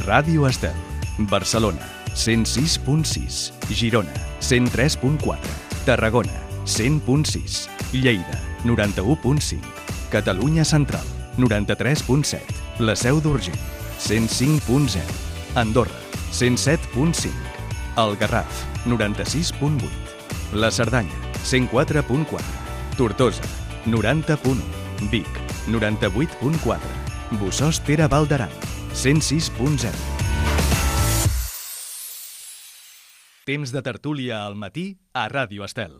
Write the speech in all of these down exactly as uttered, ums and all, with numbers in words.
Ràdio Estel, Barcelona, cent sis punt sis, Girona, cent tres punt quatre, Tarragona, cent punt sis, Lleida, noranta-u punt cinc, Catalunya Central, noranta-tres punt set, La Seu d'Urgell, cent cinc punt zero, Andorra, cent set punt cinc, El Garraf, noranta-sis punt vuit, La Cerdanya, cent quatre punt quatre, Tortosa, noranta punt u, Vic, noranta-vuit punt quatre, Bossòst-Tere Val d'Aran, cent sis punt zero. Temps de tertúlia al matí a Ràdio Estel.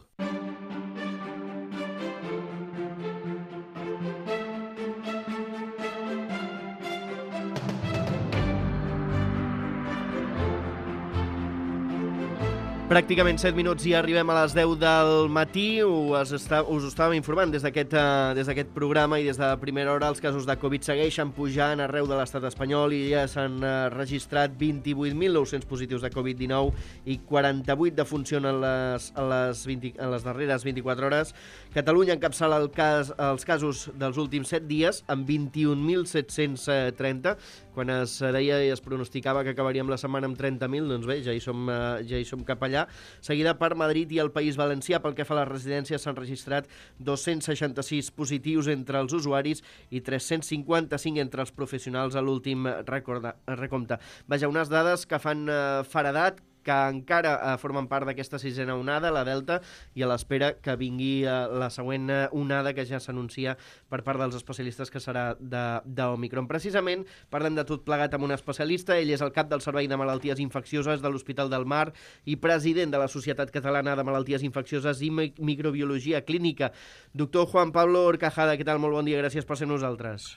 Pràcticament set minuts i arribem a les deu del matí. Us, està, us ho estàvem informant des d'aquest uh, des d'aquest programa i des de primera hora els casos de Covid segueixen pujant arreu de l'estat espanyol i ja s'han uh, registrat vint-i-vuit mil nou-cents positius de Covid dinou i quaranta-vuit defuncions en les, en les, vint, en les darreres vint-i-quatre hores. Catalunya encapçala el cas, els casos dels últims set dies amb vint-i-un mil set-cents trenta. Quan es deia i es pronosticava que acabaríem la setmana amb trenta mil, doncs bé, ja hi som, uh, ja hi som cap allà. Seguida per Madrid i el País Valencià. Pel que fa a les residències, s'han registrat dos-cents seixanta-sis positius entre els usuaris i tres-cents cinquanta-cinc entre els professionals a l'últim recompte. Vaja, unes dades que fan eh, faredat, que encara eh, formen part d'aquesta sisena onada, la Delta, i a l'espera que vingui eh, la següent onada que ja s'anuncia per part dels especialistes que serà d'Omicron. Precisament parlem de tot plegat amb un especialista. Ell és el cap del Servei de Malalties Infeccioses de l'Hospital del Mar i president de la Societat Catalana de Malalties Infeccioses i Microbiologia Clínica. Doctor Juan Pablo Horcajada, què tal? Molt bon dia, gràcies per ser nosaltres.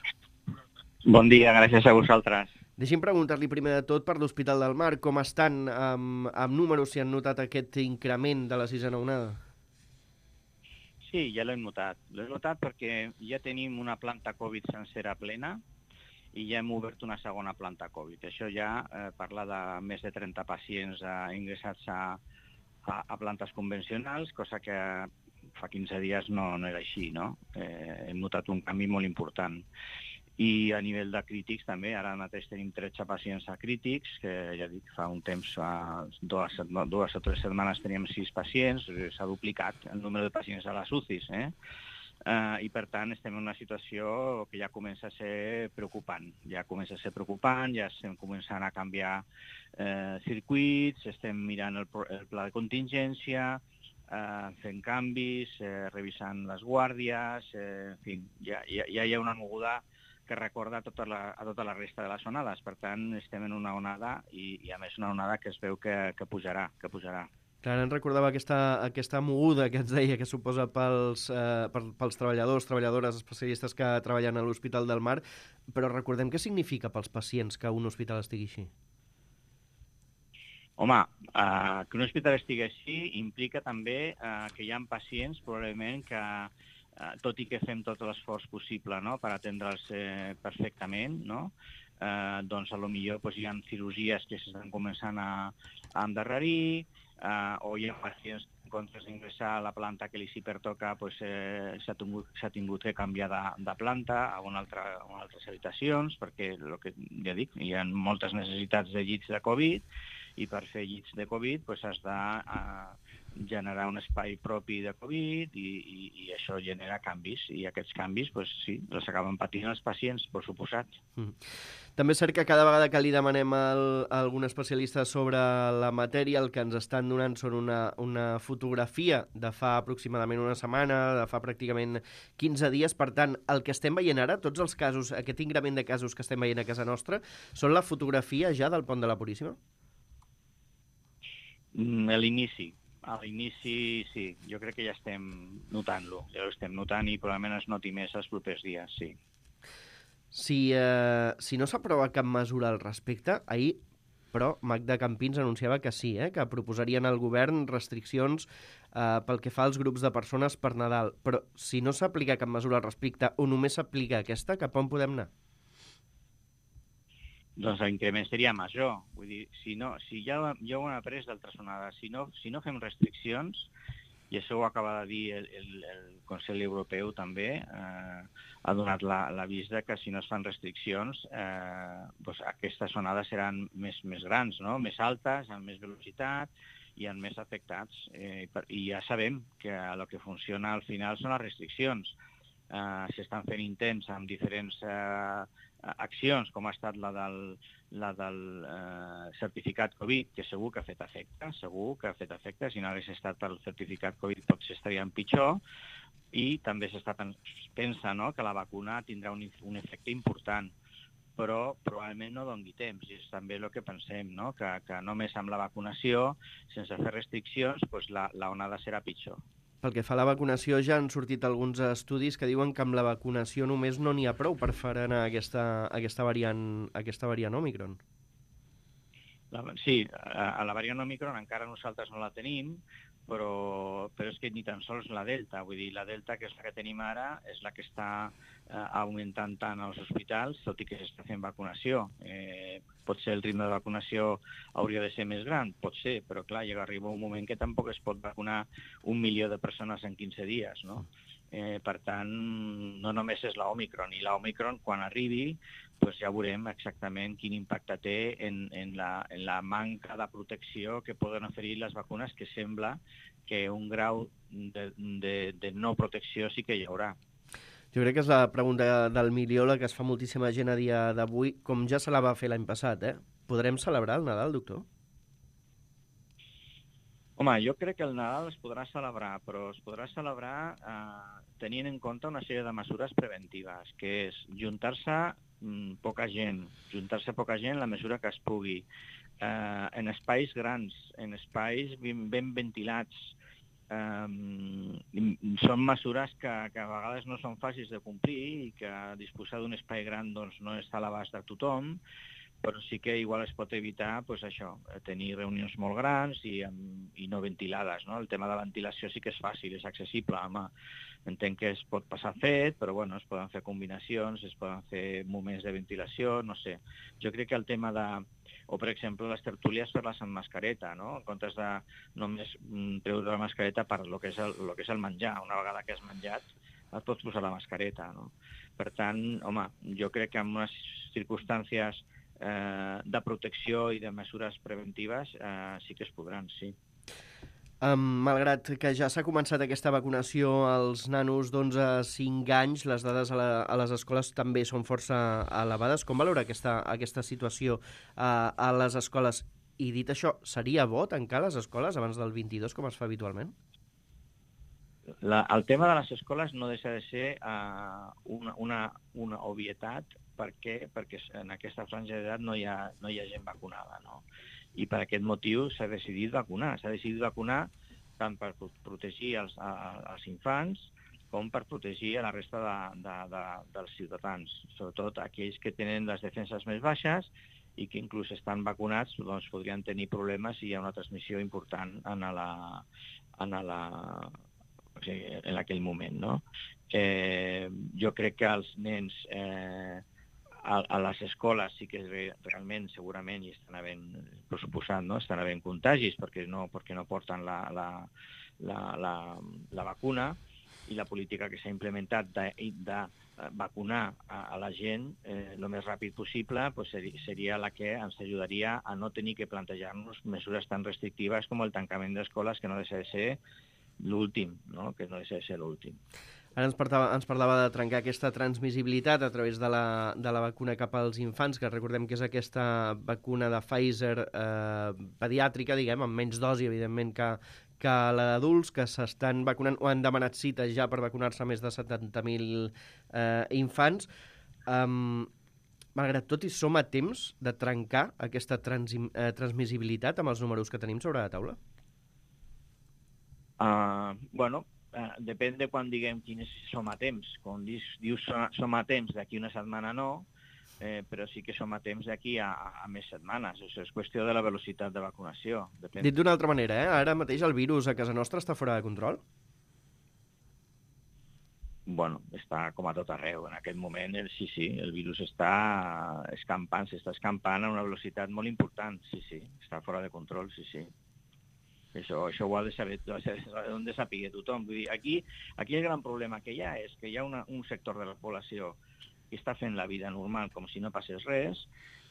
Bon dia, gràcies a vosaltres. Deixi'm preguntar-li primer de tot per l'Hospital del Mar, com estan amb, amb números, si han notat aquest increment de la sisena onada? Sí, ja l'hem notat. L'hem notat perquè ja tenim una planta Covid sencera plena i ja hem obert una segona planta Covid. Això ja eh, parla de més de trenta pacients eh, ingressats a, a, a plantes convencionals, cosa que fa quinze dies no, no era així, no? Eh, hem notat un canvi molt important. I a nivell de crítics també, ara mateix tenim tretze pacients a crítics, que ja dic, fa un temps, fa dues, dues o tres setmanes teníem sis pacients, s'ha duplicat el número de pacients a les U C Is, eh? Uh, I per tant estem en una situació que ja comença a ser preocupant, ja comença a ser preocupant, ja estem començant a canviar eh, circuits, estem mirant el, el pla de contingència, eh, fent canvis, eh, revisant les guàrdies, eh, en fi, ja, ja, ja hi ha una moguda que recorda a tota, la, a tota la resta de les onades. Per tant, estem en una onada i, i a més una onada que es veu que, que pujarà, que pujarà. Clar, em recordava aquesta, aquesta moguda que ens deia que suposa pels, eh, pels treballadors, treballadores, especialistes que treballen a l'Hospital del Mar, però recordem què significa pels pacients que un hospital estigui així. Home, eh, que un hospital estigui així implica també eh, que hi ha pacients probablement que Uh, tot i que fem tot l'esforç possible, no?, per atendre'ls eh, perfectament, no?, uh, doncs a lo millor pues, hi ha cirurgies que s'estan començant a, a endarrerir, uh, o hi ha pacients que en comptes d'ingressar a la planta que li s'hi pertoca pues, eh, s'ha tingut, s'ha tingut que canviar de, de planta a una altra, a una altres habitacions, perquè el que ja dic, hi ha moltes necessitats de llits de Covid i per fer llits de Covid pues, has de uh, generar un espai propi de Covid i, i, i això genera canvis i aquests canvis, pues, sí, els acaben patint els pacients, per suposat. Mm. També és cert que cada vegada que li demanem al, a algun especialista sobre la matèria, el que ens estan donant són una, una fotografia de fa aproximadament una setmana, de fa pràcticament quinze dies. Per tant, el que estem veient ara, tots els casos, aquest increment de casos que estem veient a casa nostra, són la fotografia ja del Pont de la Puríssima? Mm, a l'inici. A l'inici, sí, jo crec que ja estem notant-lo, ja ho estem notant i probablement es noti més els propers dies, sí. Si, eh, si no s'aprova cap mesura al respecte, ahir, però, Magda Campins anunciava que sí, eh, que proposarien al govern restriccions eh, pel que fa als grups de persones per Nadal. Però si no s'aplica cap mesura al respecte o només s'aplica aquesta, cap on podem anar? Doncs l'increment seria major. Vull dir, si, no, si ja, ja ho hem après d'altres onades, si no, si no fem restriccions, i això ho acaba de dir el, el, el Consell Europeu també, eh, ha donat l'avís de que si no es fan restriccions, eh, doncs aquestes onades seran més, més grans, no? Més altes, amb més velocitat i amb més afectats. Eh, i, per, I ja sabem que el que funciona al final són les restriccions. Eh, S'estan fent intents amb diferents eh, accions, com ha estat la del, la del eh, certificat Covid, que segur que ha fet efecte, segur que ha fet efecte. Si no hagués estat pel certificat Covid potser estaríem pitjor. I també s'està pensant, no?, que la vacuna tindrà un, un efecte important, però probablement no doni temps. I és també el que pensem, no?, que, que només amb la vacunació, sense fer restriccions, doncs la, la onada serà pitjor. Pel que fa a la vacunació, ja han sortit alguns estudis que diuen que amb la vacunació només no n'hi ha prou per frenar aquesta, aquesta, variant, aquesta variant Òmicron. La, sí, a, a la variant Òmicron encara nosaltres no la tenim, però, però és que ni tan sols la Delta. Vull dir, la Delta, que és la que tenim ara, és la que està eh, augmentant tant als hospitals, tot i que s'està fent vacunació. Eh, potser el ritme de vacunació hauria de ser més gran, pot ser, però clar, llega a arribar un moment que tampoc es pot vacunar un milió de persones en quinze dies, no? Eh, per tant, no només és l'Òmicron, i l'Òmicron, quan arribi, doncs ja veurem exactament quin impacte té en, en, la, en la manca de protecció que poden oferir les vacunes, que sembla que un grau de, de, de no protecció sí que hi haurà. Jo crec que és la pregunta del milió la que es fa moltíssima gent a dia d'avui, com ja se la va fer l'any passat, eh? Podrem celebrar el Nadal, doctor? Home, jo crec que el Nadal es podrà celebrar, però es podrà celebrar eh, tenint en compte una sèrie de mesures preventives, que és juntar-se mm, poca gent, juntar-se poca gent la mesura que es pugui, eh, en espais grans, en espais ben, ben ventilats. Um, són mesures que, que a vegades no són fàcils de complir i que disposar d'un espai gran doncs, no està a l'abast de tothom, però sí que igual es pot evitar pues, això, tenir reunions molt grans i, i no ventilades. No? El tema de la ventilació sí que és fàcil, és accessible. Home, entenc que es pot passar fet, però bueno, es poden fer combinacions, es poden fer moments de ventilació, no sé. Jo crec que el tema de... O, per exemple, les tertúlies fer-les amb mascareta, no? En comptes de només treure la mascareta per lo que és el, lo que és el menjar. Una vegada que has menjat, et pots posar la mascareta, no? Per tant, home, jo crec que en unes circumstàncies eh, de protecció i de mesures preventives eh, sí que es podran, sí. Um, malgrat que ja s'ha començat aquesta vacunació als nanos d'onze a cinc anys, les dades a, la, a les escoles també són força elevades. Com valora aquesta, aquesta situació uh, a les escoles? I dit això, seria bo tancar les escoles abans del vint-i-dos, com es fa habitualment? La, el tema de les escoles no deixa de ser uh, una, una, una obvietat. Per què? Perquè en aquesta franja d'edat no hi ha, no hi ha gent vacunada, no? I per aquest motiu s'ha decidit vacunar. S'ha decidit vacunar tant per protegir els, a, els infants com per protegir a la resta de, de, de, dels ciutadans, sobretot aquells que tenen les defenses més baixes i que inclús estan vacunats doncs, podrien tenir problemes si hi ha una transmissió important en, la, en, la, o sigui, en aquell moment. No? Eh, jo crec que els nens... Eh, A, a les escoles sí que realment, segurament, hi estan havent, per suposat, no? estan havent contagis perquè no, perquè no porten la, la, la, la, la vacuna, i la política que s'ha implementat de, de vacunar a, a la gent eh, el més ràpid possible pues, seria la que ens ajudaria a no tenir que plantejar-nos mesures tan restrictives com el tancament d'escoles, que no deixa de ser l'últim, no? que no deixa de ser l'últim. Ara ens parlava, ens parlava de trencar aquesta transmissibilitat a través de la, de la vacuna cap als infants, que recordem que és aquesta vacuna de Pfizer eh, pediàtrica, diguem, amb menys dosi, evidentment, que, que la d'adults, que s'estan vacunant o han demanat cites ja per vacunar-se més de setanta mil eh, infants. Um, malgrat tot, i som a temps de trencar aquesta trans, eh, transmissibilitat amb els números que tenim sobre la taula? Uh, bueno... Uh, depèn de quan diguem quins som a temps. Quan dius, dius som a temps d'aquí una setmana no, eh, però sí que som a temps d'aquí a, a més setmanes. O sigui, és qüestió de la velocitat de vacunació. Depèn. Dit d'una altra manera, eh? Ara mateix el virus a casa nostra està fora de control? Bueno, està com a tot arreu. En aquest moment, el, sí, sí, el virus està escampant, s'està escampant a una velocitat molt important. Sí, sí, està fora de control, sí, sí. Això, això ho ha de saber, ho ha de saber tothom. Vull dir, aquí, aquí el gran problema que hi ha és que hi ha una, un sector de la població que està fent la vida normal com si no passés res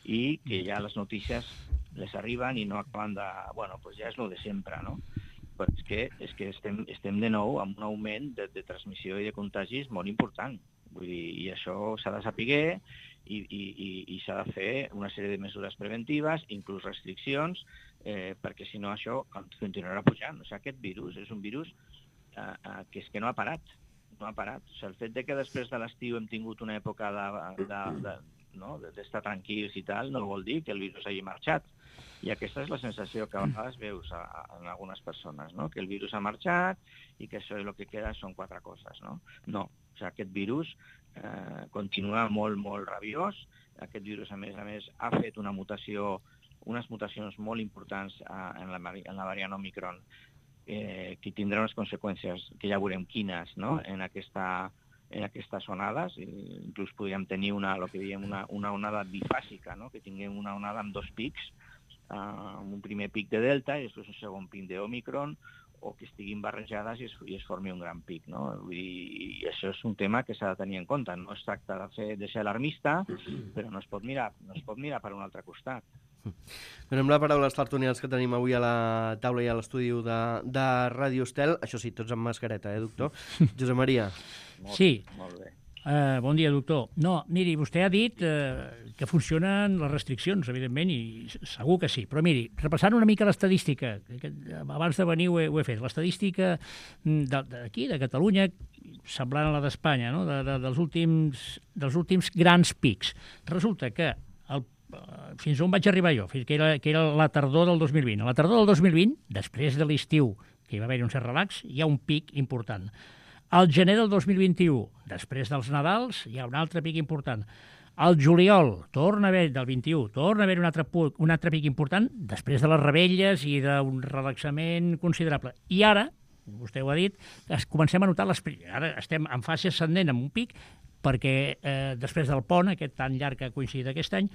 i que ja les notícies les arriben i no acaben de... Bueno, doncs ja és el de sempre, no? Però és que, és que estem, estem de nou amb un augment de, de transmissió i de contagis molt important. Vull dir, i això s'ha de saber i, i, i, i s'ha de fer una sèrie de mesures preventives, inclús restriccions, eh, perquè si no això continuarà pujant. O sigui, aquest virus és un virus eh, eh, que és que no ha parat. No ha parat. O sigui, el fet de que després de l'estiu hem tingut una època de, de, de, no? d'estar tranquils i tal, no vol dir que el virus hagi marxat. I aquesta és la sensació que a vegades veus a, a, en algunes persones, no? Que el virus ha marxat i que això el que queda són quatre coses, no? No, o sigui, aquest virus eh, continua molt, molt rabiós. Aquest virus, a més a més, ha fet una mutació, unes mutacions molt importants eh, en, la, en la variant Omicron, eh, que tindrà unes conseqüències que ja veurem quines, no? En aquesta en aquestes onades, inclús podríem tenir una, el que diem una, una onada bifàsica, no? Que tinguem una onada amb dos pics, Uh, un primer pic de Delta i després un segon pic d'Omicron, o que estiguin barrejades i es, i es formi un gran pic, no? Vull dir, i això és un tema que s'ha de tenir en compte. No es tracta de, fer, de ser alarmista, però no es pot mirar, no es pot mirar per un altre costat. Donem la paraula als tertulians que tenim avui a la taula i a l'estudi de, de Ràdio Estel. Això sí, tots amb mascareta, eh, doctor? Josep Maria. Molt, sí. Molt bé. Uh, bon dia, doctor. No, miri, vostè ha dit uh, que funcionen les restriccions, evidentment, i segur que sí. Però miri, repassant una mica l'estadística, que abans de venir ho he, ho he fet, l'estadística d'aquí, de Catalunya, semblant a la d'Espanya, no? de, de, dels, últims, dels últims grans pics. Resulta que el, uh, fins on vaig arribar jo, fins que era, que era la tardor del dos mil vint. A la tardor del dos mil vint, després de l'estiu, que hi va haver un cert relax, hi ha un pic important. Al gener del dos mil vint-i-u, després dels Nadals, hi ha un altre pic important. Al juliol, torna a haver, del vint-i-u, torna a haver un altre, un altre pic important, després de les rebelles i d'un relaxament considerable. I ara, vostè ho ha dit, es comencem a notar les... Ara estem en fase ascendent amb un pic, perquè eh, després del pont, aquest tan llarg que ha coincidit aquest any,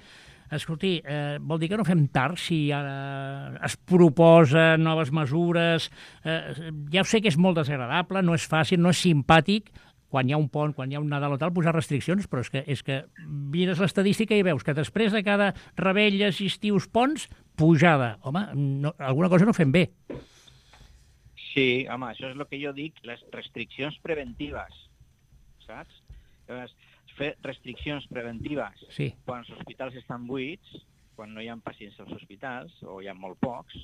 escolti, eh, vol dir que no fem tard si ara es proposen noves mesures. Eh, ja ho sé que és molt desagradable, no és fàcil, no és simpàtic, quan hi ha un pont, quan hi ha un Nadal o tal, posar restriccions, però és que, és que mires l'estadística i veus que després de cada rebelles, estius, ponts, pujada. Home, no, alguna cosa no fem bé. Sí, home, això és el que jo dic, les restriccions preventives, saps? Llavors, fer restriccions preventives sí. Quan els hospitals estan buits, quan no hi ha pacients als hospitals, o hi ha molt pocs,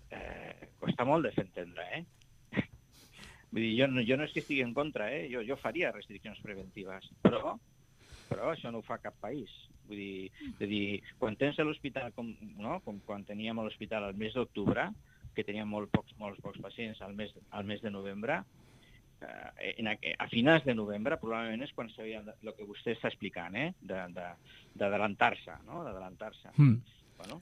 eh, costa molt de fer entendre, eh? Vull dir, jo, jo no és que estigui en contra, eh? Jo, jo faria restriccions preventives, però, però això no ho fa cap país. Vull dir, de dir quan tens a l'hospital, com, no? com quan teníem a l'hospital al mes d'octubre, que teníem molt pocs, molts pocs pacients al mes, al mes de novembre, Eh, en, a finals de novembre probablement és quan s'havia el que vostè està explicant, eh? d'adelantar-se, no? d'adelantar-se. Mm. Bueno,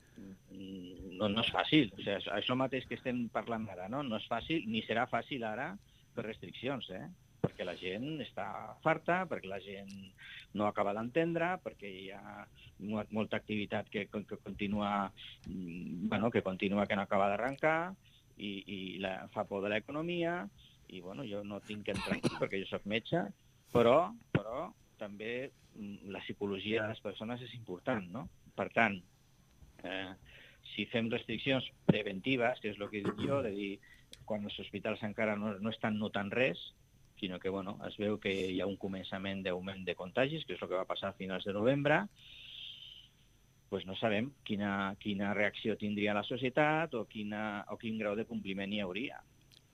no, no és fàcil, o sigui, això mateix que estem parlant ara, no? No és fàcil, ni serà fàcil ara per restriccions, eh? Perquè la gent està farta, perquè la gent no acaba d'entendre, perquè hi ha molta activitat que, que continua, bueno, que continua que no acaba d'arrencar i, i la, fa por de l'economia. I bueno, jo no tinc que entrar aquí perquè jo soc metge, però, però també la psicologia de les persones és important, no? Per tant, eh, si fem restriccions preventives, que és el que dic jo, de dir, quan els hospitals encara no, no estan notant res, sinó que bueno, es veu que hi ha un començament d'augment de contagis, que és el que va passar a finals de novembre, doncs no sabem quina, quina reacció tindria la societat o, quina, o quin grau de compliment hi hauria.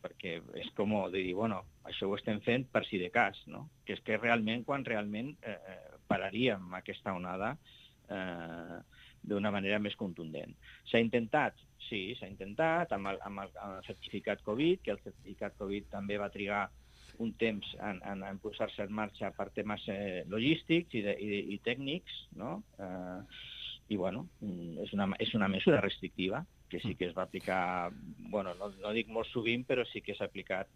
Perquè és com de dir, bueno, això ho estem fent per si de cas, no? Que és que realment, quan realment eh, pararíem aquesta onada eh, d'una manera més contundent. S'ha intentat? Sí, s'ha intentat, amb el, amb, el, amb el certificat Covid, que el certificat Covid també va trigar un temps en, en, en posar-se en marxa per temes eh, logístics i, de, i, i tècnics, no? Eh, I, bueno, és una, és una mesura restrictiva, que sí que es va aplicar, bueno, no, no dic molt sovint, però sí que s'ha aplicat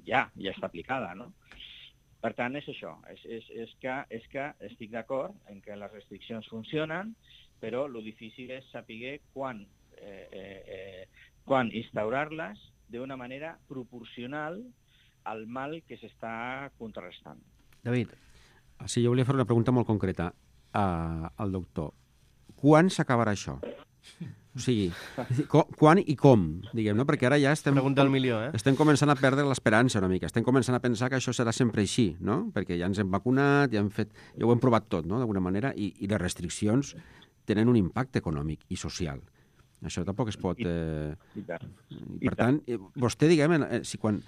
ja, ja està aplicada, no? Per tant, és això, és, és, és, que, és que estic d'acord en que les restriccions funcionen, però el difícil és saber quan, eh, eh, quan instaurar-les d'una manera proporcional al mal que s'està contrarrestant. David. Sí, jo volia fer una pregunta molt concreta al doctor. Quan s'acabarà això? O sigui, quan i com, diguem, no? Perquè ara ja estem... Pregunta al milió, eh? Estem començant a perdre l'esperança una mica. Estem començant a pensar que això serà sempre així, no? Perquè ja ens hem vacunat, ja hem fet... Ja ho hem provat tot, no?, d'alguna manera, i, i les restriccions tenen un impacte econòmic i social. Això tampoc es pot... Eh... I tant. I per tant, vostè, diguem, eh, si quan...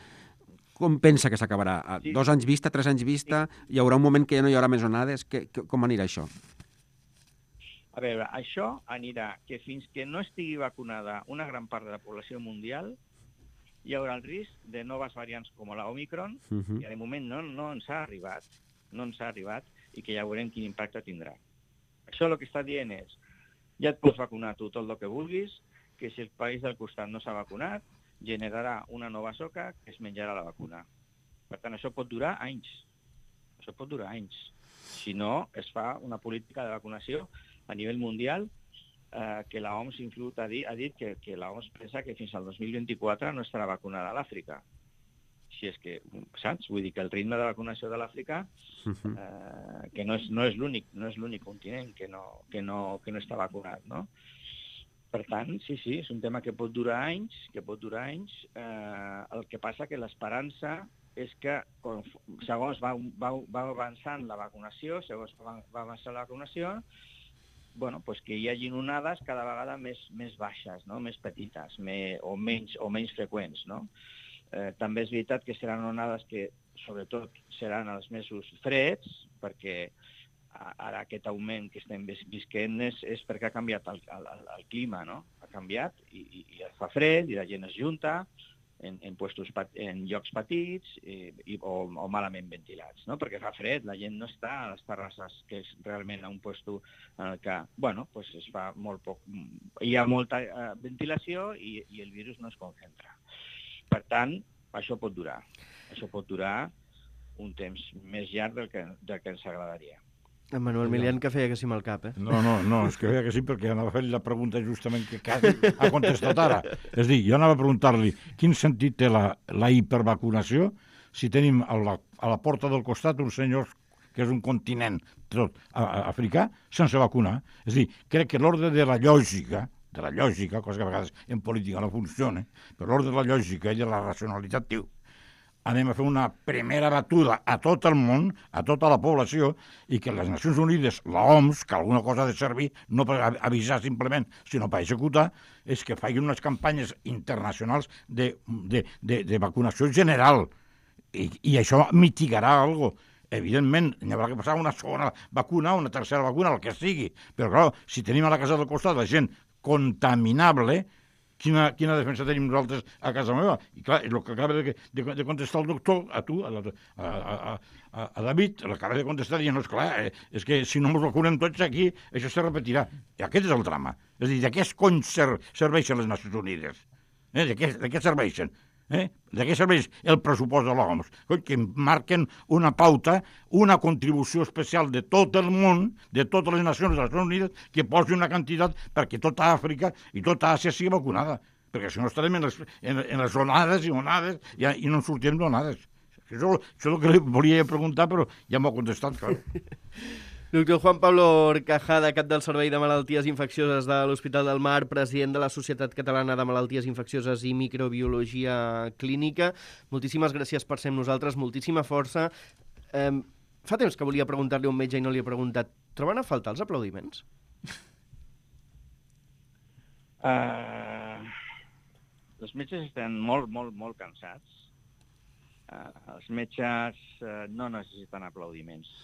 Com pensa que s'acabarà? A dos anys vista, tres anys vista? Hi haurà un moment que ja no hi haurà més onades? Que, que, com anirà això? A veure, això anirà que fins que no estigui vacunada una gran part de la població mundial hi haurà el risc de noves variants com la Omicron, uh -huh. que de moment no, no ens ha arribat, no ens ha arribat, i que ja veurem quin impacte tindrà. Això el que està dient és, ja et pots vacunar tu tot el que vulguis, que si el país del costat no s'ha vacunat, generarà una nova soca que es menjarà la vacuna. Per tant, això pot durar anys. Això pot durar anys. Si no, es fa una política de vacunació a nivell mundial, eh, que la O M S inclús ha dit, ha dit que, que la O M S pensa que fins al dos mil vint-i-quatre no estarà vacunada a l'Àfrica. Si és que, saps? Vull dir que el ritme de vacunació de l'Àfrica, eh, que no és, no és l'únic, no és l'únic continent que no, que no, que no està vacunat, no? Per tant, sí, sí, és un tema que pot durar anys, que pot durar anys. Eh, el que passa que l'esperança és que segons va, va, va avançant la vacunació, segons va, va avançant la vacunació, bueno, pues que hi hagin onades cada vegada més, més baixes, no? Més petites, més, o, menys, o menys freqüents, no? Eh, també és veritat que seran onades que, sobretot, seran als mesos freds, perquè ara aquest augment que estem visquent és, és perquè ha canviat el, el, el clima, no? Ha canviat i, i, i fa fred i la gent es junta en, en, puestos, en llocs petits i, i, o, o malament ventilats, no? Perquè fa fred, la gent no està a les terrasses, que és realment un puesto en el que, bueno, pues es fa molt poc... Hi ha molta uh, ventilació i, i el virus no es concentra. Per tant, això pot durar. Això pot durar un temps més llarg del que, del que ens agradaria. En Manuel Milian, que feia que sí amb el cap, eh? No, no, no, és que feia que sí perquè anava a fer la pregunta justament que quasi ha contestat ara. És a dir, jo anava a preguntar-li quin sentit té la, la hipervacunació si tenim a la, a la porta del costat uns senyors que és un continent tot a, a, africà sense vacunar. És a dir, crec que l'ordre de la lògica, de la lògica, cosa que a vegades en política no funciona, però l'ordre de la lògica i de la racionalitat diu anem a fer una primera batuda a tot el món, a tota la població, i que les Nacions Unides, la O M S, que alguna cosa ha de servir, no per avisar simplement, sinó per executar, és que facin unes campanyes internacionals de, de, de, de vacunació general. I, i això mitigarà alguna cosa. Evidentment, n'hi haurà que passar una segona vacuna, una tercera vacuna, el que sigui. Però, clar, si tenim a la casa del costat la gent contaminable, Quina, quina defensa tenim nosaltres a casa meva? I clar, el que acaba de, de, de contestar el doctor, a tu, a, a, a, a, a David, l'acaba de contestar dient, no, esclar, eh, és que si no ens vacunem tots aquí, això se repetirà. I aquest és el drama. És a dir, de què es conser, serveixen les Nacions Unides? Eh? De, què, de què serveixen? Eh? De què serveix el pressupost de l'O M S? Que marquen una pauta, una contribució especial de tot el món, de totes les nacions de les Nacions Unides, que posi una quantitat perquè tota Àfrica i tota Àsia sigui vacunada. Perquè si no estarem en les, en, en les onades i onades i, i no en sortirem d'onades. Això, això és el que li volia preguntar, però ja m'ho ha contestat, clar. Doctor Juan Pablo Orcajada, cap del Servei de Malalties Infeccioses de l'Hospital del Mar, president de la Societat Catalana de Malalties Infeccioses i Microbiologia Clínica. Moltíssimes gràcies per ser amb nosaltres, moltíssima força. Eh, fa temps que volia preguntar-li a un metge i no li he preguntat. Troben a faltar els aplaudiments? Uh, els metges estan molt, molt, molt cansats. Uh, els metges uh, no necessiten aplaudiments.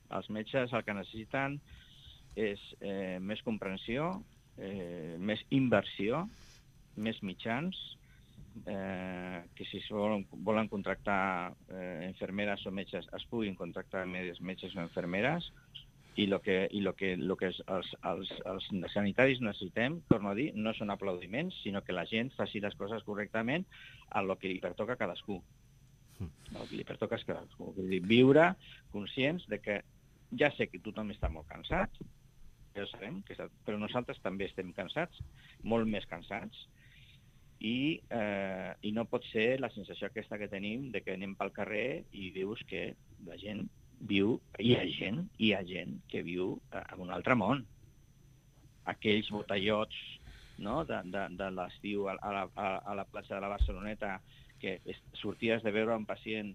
Els metges el que necessiten és eh, més comprensió, eh, més inversió, més mitjans, eh, que si volen, volen contractar eh, infermeres o metges es puguin contractar metges o infermeres, i el que, i lo que, lo que els, els, els sanitaris necessitem, torno a dir, no són aplaudiments, sinó que la gent faci les coses correctament a lo que li pertoca a cadascú. El que li pertoca és cadascú. Vull dir, viure conscients de que ja sé que tothom està molt cansat, ja ho sabem, que està, però nosaltres també estem cansats, molt més cansats, i, eh, i no pot ser la sensació aquesta que tenim de que anem pel carrer i dius que la gent viu, hi ha gent, hi ha gent que viu en un altre món. Aquells botellots, no?, de, de, de l'estiu a, a, la, a la platja de la Barceloneta, que sorties de veure un pacient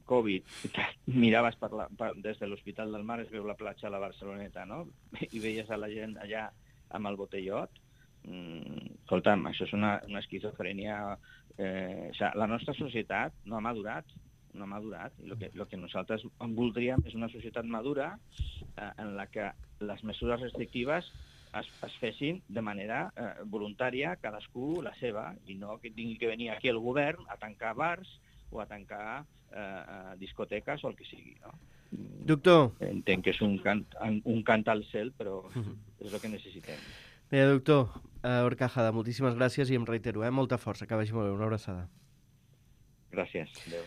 Covid, que miraves per la, per, des de l'Hospital del Mar, es veu la platja de la Barceloneta, no?, i veies a la gent allà amb el botellot. Mm, escolta'm, això és una, una esquizofrènia. Eh, o sigui, la nostra societat no ha madurat, no ha madurat. I el que, lo que nosaltres voldríem és una societat madura eh, en la que les mesures restrictives es, es fessin de manera eh, voluntària, cadascú la seva, i no que tingui que venir aquí el govern a tancar bars o a tancar eh, discoteques o el que sigui, no? Doctor. Entenc que és un cant, un cant al cel, però és el que necessitem. Bé, doctor uh, Horcajada, moltíssimes gràcies i em reitero, eh? Molta força, que vagi molt bé, una abraçada. Gràcies. Adéu.